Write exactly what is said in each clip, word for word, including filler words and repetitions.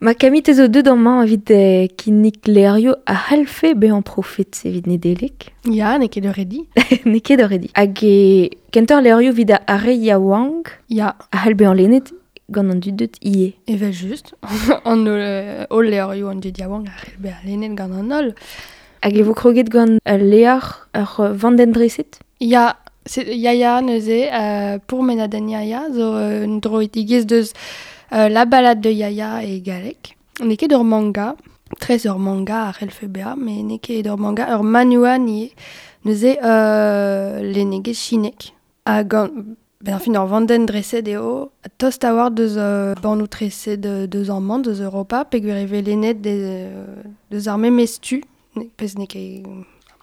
Ma kamit zo deut amañ evit euh, kinnig levrioù a c'hallfe bezañ profet evit Nedeleg. Ya, n'eo ket ur redi. N'eo ket ur redi. Hag e kentoc'h levrioù evit ar re yaouank Ya, a c'hall bezañ lennet gant an dud deut ivez. Evel just. An holl, euh, holl levrioù an dud yaouank a c'hell bezañ lennet gant an holl. Hag e vo kroget gant ul levr ur vandenn dreset? Ya, c'est Yaya neuze, euh, pourmenadenn Yaya, zo euh, un droidigezh deus euh, La balade de Yaya e galleg. N'eo ket ur manga, tres ur manga a c'hellfe bezañ, met n'eo ket ur manga, ur manhwa ivez. Neuze euh, lennegezh chinek. Ha gant, ben enfin, ur vandenn dreset eo, tost a-walc'h deus euh, bannoù treset de, deus amañ, deus Europa, peogwir e vez lennet de, deus ar memes tu, pezh n'eo ket,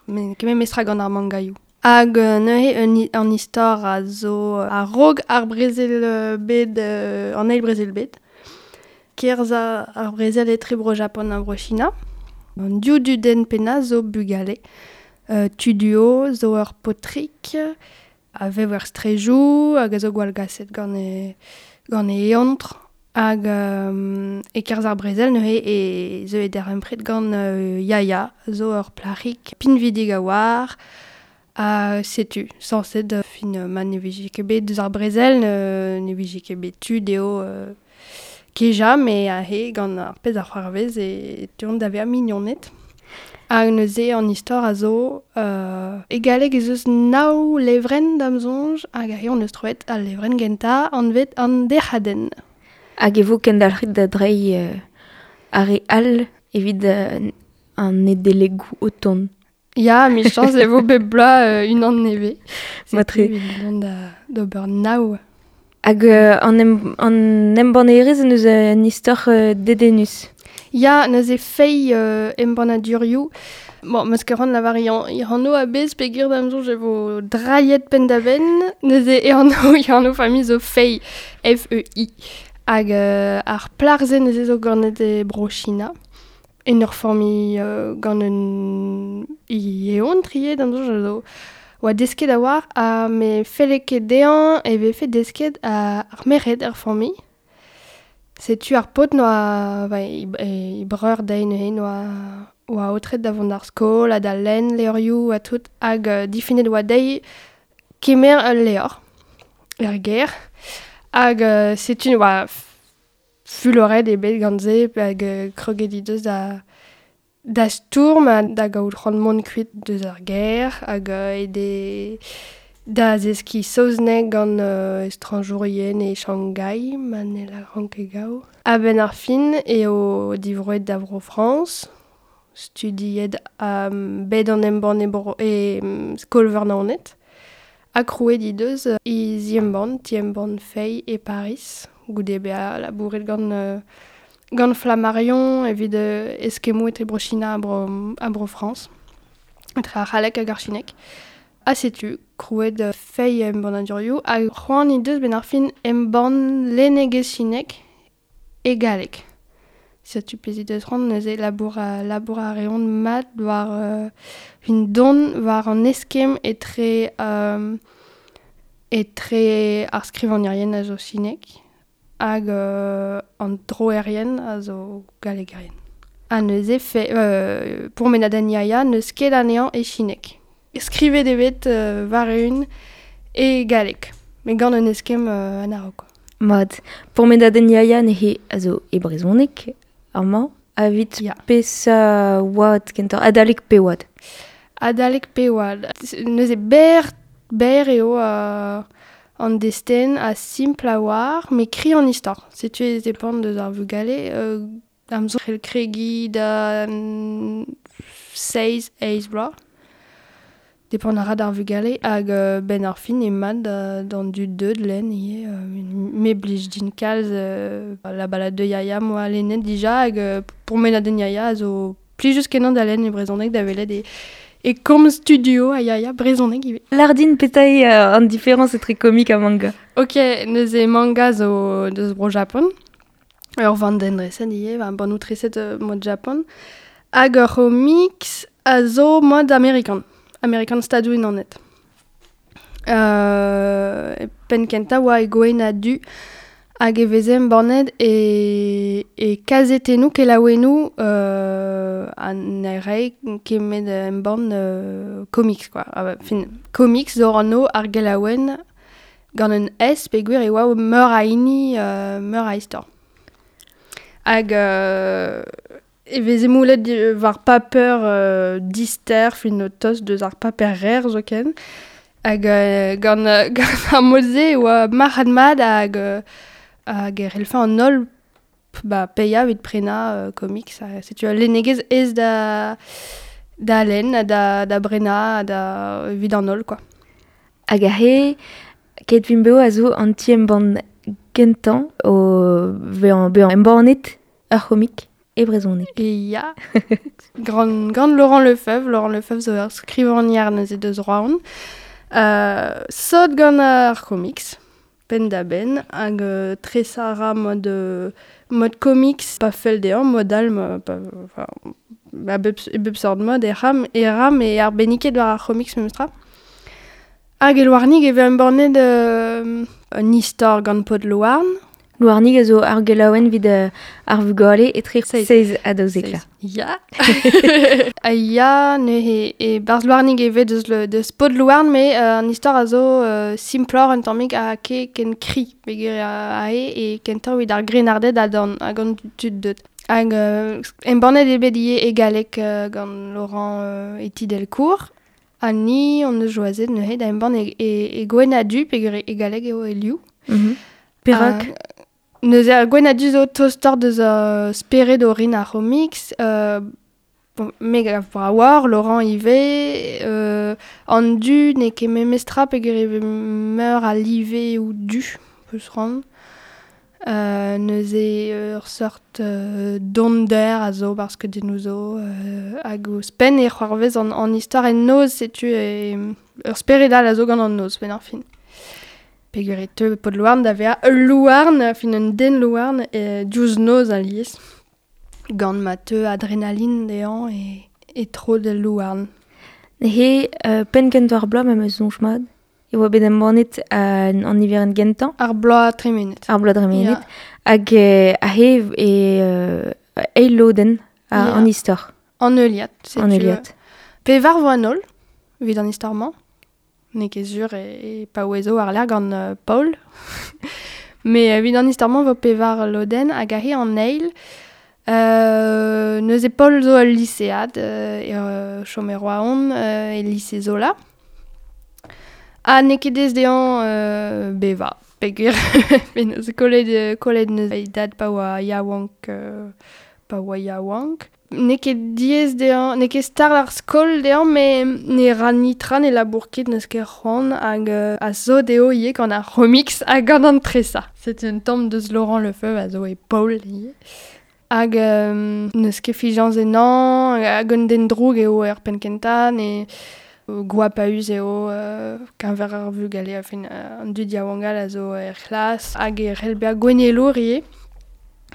n'eo ket memes tra gant ar mangaioù. Hag euh, neuze un, an istor a zo a-raok ar brezel euh, bet, euh, an eil brezel bet. Kerzh ar brezel etre bro Japon ha bro China. An div dudenn pennañ zo bugale. Euh, Tuduo zo ur paotrig a vev er strejoù hag a zo gwallgaset gant e, gant e eontr. Hag euh, e-kerzh ar brezel neuze e zeu e darempred gant euh, Yaya zo ur plac'hig pinvidik a-walc'h. Ha setu, sañset euh, fin euh, ma ne vije ket bet deus ar brezel, ne, ne vije ket bet tu dezho euh, kejañ, met aze gant ar pezh ar c'hoarvez e teuont da vezañ mignoned. Hag neuze an istor a zo euh, e galleg ez eus nav levrenn da'm soñj, hag aze hon eus troet al levrenn gentañ anvet an dec'hadenn. Hag e vo kendalc'het da dreiñ euh, ar re all evit euh, an Nedelegoù o tont. Ya, emichañs e vo bep bloaz euh, unan nevez. Matre. Setu evit dont da d'ober nav. Hag euh, an, em, an embannerez en deus un istor euh, dedennus. Ya, neuze fei euh, embannadurioù. Bon, meus ket c'hoant lavar e anv a-bezh peogwir da'm soñj e vo drailhet penn-da-benn. Neuze e anv, e anv familh zo Fei, F E I. Hag euh, ar plac'h-se neuze zo ganet e bro China. En ur familh euh, gant un eontr ivez da'm soñj zo oa desket a-walc'h ha me felle ket dezhañ e vefe desket a, ar merc'hed er familh. Setu ar paotr noa, ba, e, e breur dezhi neuze noa oa aotret da vont d'ar skol ha da lenn levrioù ha tout hag euh, difinet oa dezhi kemer ul levr er gêr. Hag euh, setu oa fuloret eo bet gant se hag euh, kroget he deus da da stourm ha da gaout c'hoant mont kuit deus ar gêr hag euh, e de da zeskiñ saozneg gant euh, estrañjourien e Shanghai, ma ne lâran ket gaou. A-benn ar fin eo divroet da vro Frañs, studiet um, bet an embann e, bro, e um, skol-veur Naoned, ha krouet he deus he zi-embann, ti-embann Fei e Paris, goude bezañ labouret gant euh, gant Flammarion evit euh, eskemmoù etre bro China ha bro, ha bro Frañs, etre ar c'halleg hag ar chineg. Ha setu, krouet euh, Fei embannadurioù hag c'hoant he deus benn ar fin embann lennegezh chinek e galleg. Setu pezh he deus c'hoant neuze labour a, labour a reont mat war euh, un don war an eskemm etre euh, etre ar skrivagnerien a zo chinek hag euh, an droerien a zo gallegerien. Ha neuze fe, euh, pourmenadenn Yaya n'eus ket anezhañ e chinek. Skrivet eo bet euh, war-eeun e galleg, met gant un eskemm euh, an a-raok. Mat, pourmenadenn Yaya neuze a zo e brezhoneg amañ, evit Ya. peseurt oad kentoc'h, adalek pe oad. Adalek pe oad. Neuze berr, berr eo euh, an destenn ha simpl a-walc'h, met kri an istor. Setu e depend deus ar vugale, euh, da'm soñj c'hell kregiñ da mm, seizh, eizh bloaz. Depend a ra d'ar vugale hag euh, benn ar fin eo mat da, d'an dud deut lenn ivez. Euh, me blij din kalz euh, La balade de Yaya moa lennet dija hag euh, pourmenadenn Yaya a zo plijus kenañ da lenn e brezhoneg da welet e, e komz studio a Yaya brezhoneg ivez. Lâr din petra eo euh, an diferañs etre komik ha manga. Ok, neuze manga zo deus bro Japon. Ur vandenn dreset ivez, ba, bannoù treset euh, mod Japon. Hag ur c'homics a zo mod amerikan. Amerikan Stadoù-Unanet. Euh, penn kentañ oa e gwenn ha du Hag e veze embannet e, e kazetennoù kelaouennoù euh, an rei kemet embann euh, comics quoi. Ah, fin, comics zo anv ar gelaouenn gant un S peogwir e oa meur a hini, euh, meur a istor. Hag euh, e veze moulet war paper euh, dister, fin tost deus ar paper rer zoken. Hag euh, gant, gant ar mod-se e oa marc'had mat hag euh, hag e c'hellfe an holl ba, paeañ evit prenañ euh, comics. Setu al lennegezh aes da, da lenn, da, da brenañ, da evit an holl, quoi. Hag aze, Keit Vimp Bev a zo an ti-embann gentañ o vezañ bezañ embannet ur c'homic e brezhoneg. E ya, gant, gant Laurent Lefebvre, Laurent Lefebvre zo ur skrivagner neuze deus Roazhon. Euh, sot gant ar comics, penn da benn, hag euh, tresañ a ra mod, euh, mod comics, pa fell dezhañ, mod all, pa, enfin, a bep, e bep sort mod, e ram, e ram e arbenniket war ar comics memestra. Hag e Louarnig e vez embannet euh, un istor gant Pod Louarn. Louarnig a zo ar gelaouenn evit ar vugale etre seizh ha daouzek vloaz. Ya. Ha ya, neuze e barzh Louarnig e vez deus, le, deus Pod Louarn, met euh, an istor a zo euh, simploc'h un tammig ha ket ken kri peogwir aze e kentoc'h evit ar grennarded hag an, hag an tud deut. Hag euh, embannet eo bet ivez e galleg euh, gant Laurent euh, Eti Delcourt. Ha ni hon eus choazet neuze da embann e, e, e gwenn ha du peogwir e galleg eo e liv. Mm-hmm. Perak? Uh, Neuze ar gwenn ha du zo tostoc'h deus uh, spered orin ar c'homics, euh, bon, me gav brav Laurent ivez, euh, an du n'eo ket memestra peogwir e vez meur a live ou du, peus ran. Euh, neuze ur seurt euh, donder a zo parce que dennoù zo euh, hag ouzhpenn e c'hoarvez an, an istor en noz setu e, ur spered all a zo gant an noz benn ar fin. Peogwir e teu Pod Louarn da vezañ ul louarn, fin un den louarn, e diouzh noz alies. Gant ma teu adrenaline dezhañ e, e tro d'al louarn. He euh, penn kentañ ar bloaz ma 'm eus soñj mat. E oa bet embannet an, an niverenn gentañ. Ar bloaz tremenet. Ar bloaz tremenet. Yeah. Hag euh, aze e euh, eil lodenn a, yeah. An istor. An heuliad. An heuliad. Pevar vo an holl, evit an istor-mañ. N'eo ket sur e, e paouezo war-lerc'h gant euh, Paul. Met evit an istor-mañ vo pevar lodenn hag aze an eil. Euh, neuze Paul zo ul lisead euh, e euh, chom e Roazhon euh, e lise Zola. Ha n'eo ket aes dezhañ euh, bevañ, peogwir penaos kollet, kollet neuze e dad pa oa yaouank, euh, pa oa yaouank. N'eo ket diaes dezhañ, n'eo ket start ar skol dezhañ, met ne ra nitra, ne labour ket, n'eus ket c'hoant hag euh, a zo dezho ivez gant ar c'homics hag gant an tresañ. C'est un tamm deus Laurent Lefebvre a zo e Paul ivez. Hag euh, n'eus ket fiziañs ennañ, hag un den droug eo er penn kentañ, ne goapaüs eo euh, keñver ar vugale, enfin, euh, an dud yaouank all a zo er c'hlas, hag e c'hell bezañ gouennelour ivez.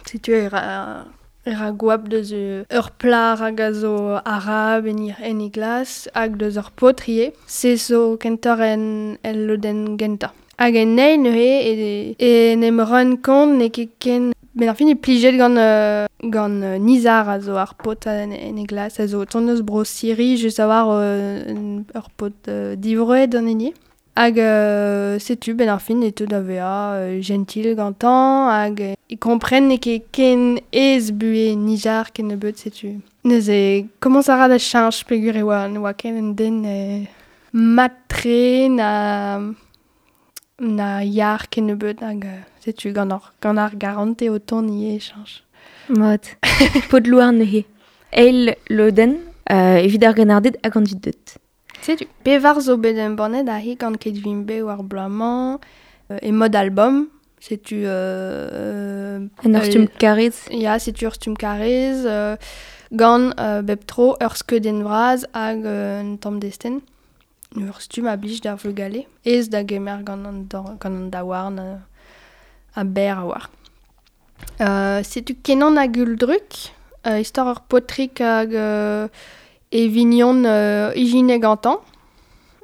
Setu e ra, e ra goap deus ur plac'h hag a zo arab en, en e glas, hag deus ur paotr ivez. Se zo kentoc'h en, el lodenn gentañ. Hag en eil neuze e, en em rent kont n'eo ket ken... Ben ar fin e plijet gant, euh, gant euh, Nizar a zo ar paotr en, en e glas, a zo tont eus bro Siri, just a war euh, ur paotr euh, divroet an hini. Hag euh, setu ben ar fin e teu da vezañ euh, gentil gantañ, hag e kompren n'eo ket ken aes buhez Nizar kennebeut setu. Neuze komañs a ra da cheñch peogwir e oa, ne oa ken un den euh, mat-tre na, na yar kennebeut hag euh, setu gant ar, gant ar garante o tont ivez e cheñch. Mat. Pod Louarn neuze. Eil lodenn euh, evit ar grennarded hag an dud deut. Setu. Pevar zo bet embannet aze gant Keit Vimp Bev ar bloaz-mañ euh, e mod album. Setu... Euh, En ur stumm karrez. Ya, setu ur stumm karrez euh, gant euh, bep tro ur skeudenn vras hag euh, un tamm destenn. Ur stumm a blij d'ar vugale. Aes da gemer gant an, gant an daouarn euh, a berr a war. Euh, setu Kenan hag Uldruk, euh, istor ur paotrig hag euh, e vignon euh, ijinet gantañ.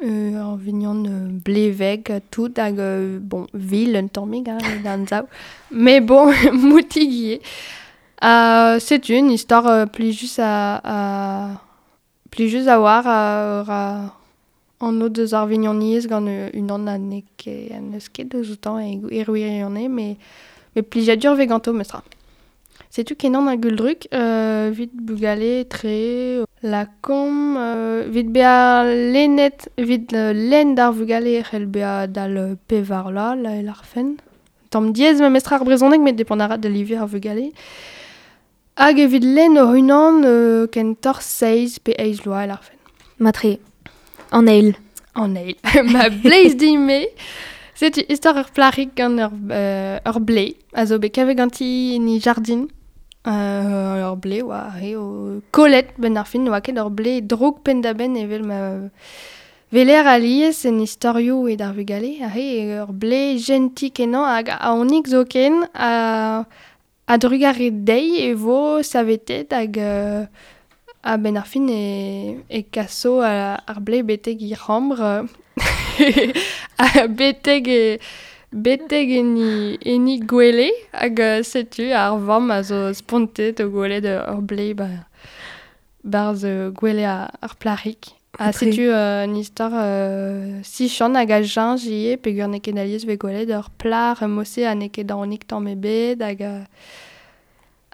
Euh, ur vignon euh, bleveg tout hag euh, bon vil un tammig hein, d'an zaou. Mais bon, moutig ivez. Euh, c'est une histoire euh, plijus a, a plijus a war a, a an o deus ar vignoniezh gant unan a n'eo ket n'eus ket deus outañ e e gwirionez, mais mais plijadur vez ganto meustra. Setu kenan a guldruk, euh, vit bugale tre la kom, euh, vit bea lennet, vit euh, lenn d'ar vugale c'hell bea dal pevar la, la el ar fen. Tamm diaes memestra ar brezhoneg met depend a ra da live ar vugale. Hag evit lenn hoc'h unan euh, kentoc'h seizh pe eizh vloaz el ar fen. Matre, an eil. An eil. Ma bleiz din-me. Setu istor ur plac'hig gant ur, euh, ur blei, a zo bet kavet ganti en he jardin. Euh, ur blei oa re o kollet benn ar fin, oa ket ur blei droug penn-da-benn evel ma veler alies en istorioù e d'ar vugale, a re ur blei gentil kenañ hag aonik zoken a, a drugare dezhi e vo savetet hag euh, a benn ar fin e, e kaso a, ar blei betek he c'hambr a betek e betek en he gwele hag setu ar vamm a zo spontet o gwelet ur blei ba, barzh gwele ar plac'hig. Ha setu euh, un istor euh, sichant hag a jañj ivez peogwir n'eo ket alies vez gwelet ur plac'h mose ha n'eo ket aonik tamm ebet hag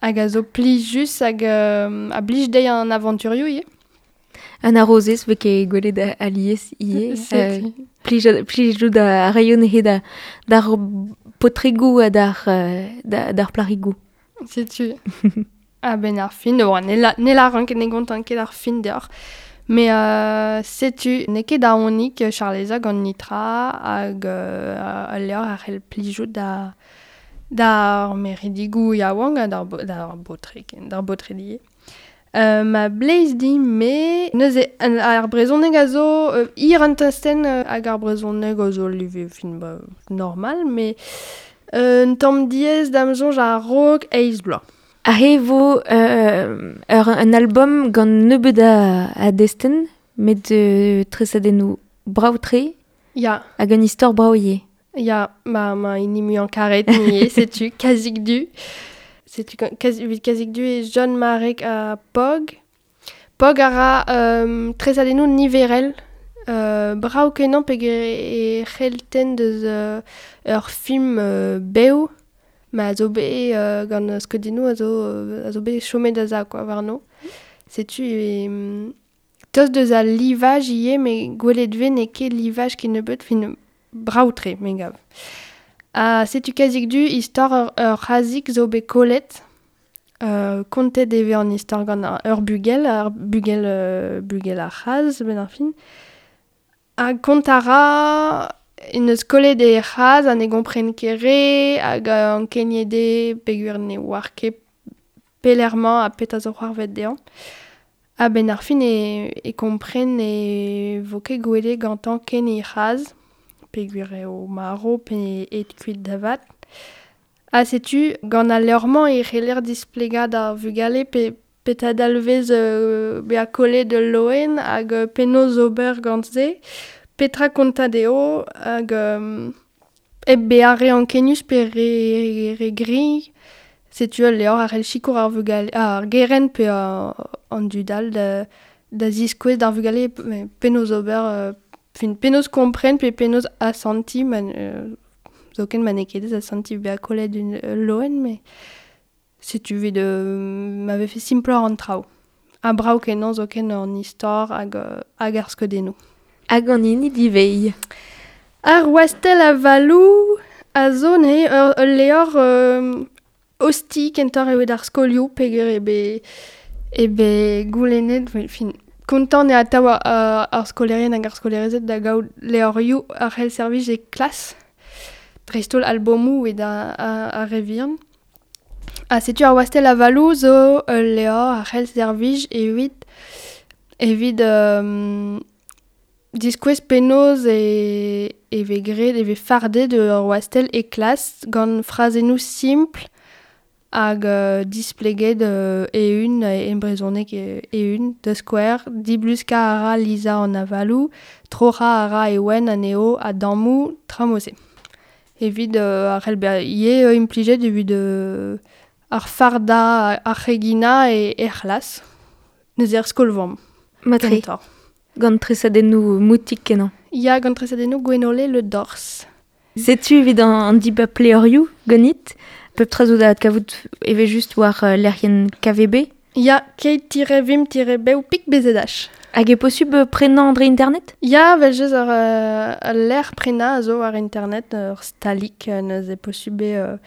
hag a zo plijus hag euh, a blij dezhi an avanturioù ivez. An arozez vez ket gwelet alies ivez. Euh, plij, plijout a raio neuze da, d'ar potregoù ha d'ar, da, d'ar plac'higoù. Setu. A ben ar fin, oa, ne la, ne la ran ket ne gontan ket ar fin deoc'h. Mais euh, setu, n'eo ket aonik Charleza gant nitra hag euh, al levr a c'hell plijout da d'ar meridigoù yaouank ha d'ar, d'ar baotred, d'ar baotred ivez. Euh, ma bleiz din me neuze an, ar brezhoneg a zo euh, hir an testenn hag ar brezhoneg a zo live fin ba, normal, mais euh, un tamm diaes da'm soñj a-raok eizh bloaz. Aze vo euh, ur, un album gant nebeut a, a destenn, met euh, tresadennoù brav-tre. Ya. Hag un istor brav ivez. Ya, ma, ma hini muiañ karet ivez, setu Kazik Du. Setu Kazik, Kazik Du e John Marek ha Pog. Pog a ra euh, tresadennoù niverel. Euh, brav kenañ peogwir e c'hellten deus euh, ur film euh, bev, ma zo bet euh, gant skeudennoù a zo, a zo bet chomet da za quoi, warno. Setu e, tost deus al livaj ivez, met gwelet vez n'eo ket livaj kennebeut, fin brav-tre, me gav. Ha setu Kazik Du, istor ur, ur c'hazik zo bet kollet. Euh, kontet e vez an istor gant ur bugel, ar bugel, euh, bugel ar c'haz, benn ar fin. Ha kont a ra en eus kollet e c'haz ha ne gompren ket re, hag ankeniet eo peogwir ne oar ket pelec'h-mañ ha petra zo c'hoarvezet dezhañ. Ha benn ar fin e, e kompren e vo ket gwelet gantañ ken e c'haz, peogwir eo marv pe aet kuit da vat. Ha setu, gant al levr-mañ e c'heller displegañ d'ar vugale pe petra dalvez euh, bezañ kollet ul loen hag penaos ober gant se, petra kontañ dezho hag euh, hep bezañ re ankenius pe re, re griñ. Setu ul levr a c'hell sikour ar vugale, ar gerent pe an dud all da, da ziskouez d'ar vugale penaos ober, euh, fin penaos kompren pe penaos asantiñ, ma, euh, zoken ma n'eo ket aes asantiñ bezañ kollet un loen, mais setu evit euh, ma vefe simploc'h an traoù. Ha brav kenañ zoken an istor hag, hag ar skeudennoù. Hag an hini diveiñ. Ar wastell avaloù a zo neuze ur, ul levr euh, osti kentoc'h eo d'ar skolioù peogwir eo bet eo bet goulennet, fin, kontant eo atav ar, ar skolaerien hag ar skolaerezed da gaout levrioù a c'hell servij e klas, dreist-holl albomoù evit ar, ar re vihan. Ha setu ar wastell avaloù zo ul levr a c'hell servij evit evit euh, diskouez penaos e, e vez graet, e vez fardet ur wastell e klas gant frazennoù simpl hag uh, displeget uh, e-un, e brezhoneg e-un, da skouer, dibluska a ra Lisa an avalou, troc'ha a ra e-wen anezho a dammoù tramose. Evit uh, ar c'hell bezañ ivez uh, implijet evit uh, ar farda ar c'hegina e er c'hlas, neuze er skol-vamm. Matre. Gant tresadennoù moutik kenañ. Ya, gant tresadennoù Gwenole Le Dors. Setu evit an, an dibab pleurioù ganit. Pep tra zo da adkavout eve just war uh, lec'hienn K V B. Ya, keit-vim-bev pik B Z H. Hag eo posubl prenañ dre internet? Ya, vel just ur, uh, ul lec'h prenañ a zo war internet, ur stalik, neuze posubl eo uh,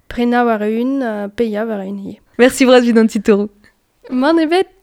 prenañ war un, uh, paeañ war un ivez. Merci bras evit an titouroù. Mann ebet.